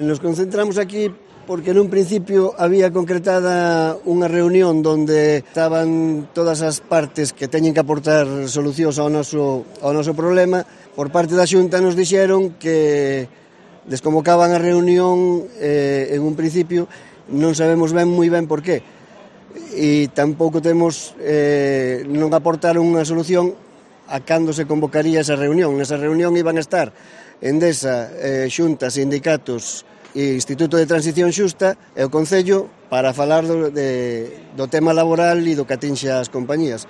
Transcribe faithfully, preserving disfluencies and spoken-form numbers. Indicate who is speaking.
Speaker 1: Nos concentramos aquí porque nun principio había concretada unha reunión donde estaban todas as partes que teñen que aportar solucións ao noso, ao noso problema. Por parte da Xunta nos dixeron que desconvocaban a reunión eh, en un principio, non sabemos ben moi ben por qué. E tampouco temos, eh, non aportaron unha solución a cando se convocaría esa reunión. Nesa reunión iban a estar Endesa, eh, Xunta, sindicatos e Instituto de Transición Xusta e o Concello para falar do, de, do tema laboral e do que atinxe ás compañías.